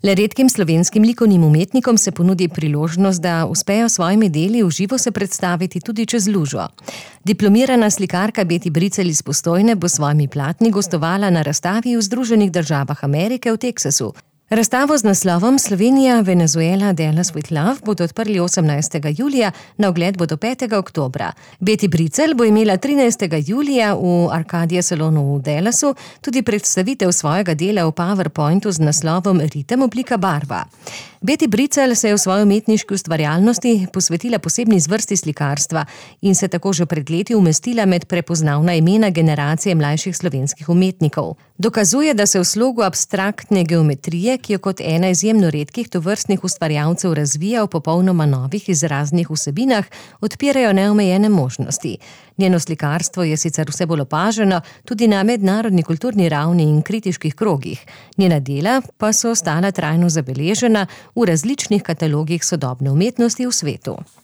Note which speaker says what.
Speaker 1: Le redkim slovenskim likovnim umetnikom se ponudi priložnost, da uspejo s svojimi deli v živo se predstaviti tudi čez lužo. Diplomirana slikarka Beti Bricelj iz Postojne bo s svojimi platni gostovala na razstavi v Združenih državah Amerike v Teksasu. Razstavo z naslovom Slovenija, Venezuela, Dallas with Love bodo odprli 18. julija, na ogled bo do 5. oktobra. Beti Bricelj bo imela 13. julija v Arcadia salonu v Dallasu tudi predstavitev svojega dela v PowerPointu z naslovom Ritem, oblika, barva. Beti Bricelj se je v svoji umetniški ustvarjalnosti posvetila posebni zvrsti slikarstva in se tako že pred leti umestila med prepoznavna imena generacije mlajših slovenskih umetnikov. Dokazuje, da se v slogu abstraktne geometrije, ki jo kot ena izjemno redkih tovrstnih ustvarjalcev razvija v popolnoma novih izraznih vsebinah, odpirajo neomejene možnosti. Njeno slikarstvo je sicer vse bolj opaženo tudi na mednarodni kulturni ravni in kritiških krogih. Njena dela pa so ostala trajno zabeležena v različnih katalogih sodobne umetnosti v svetu.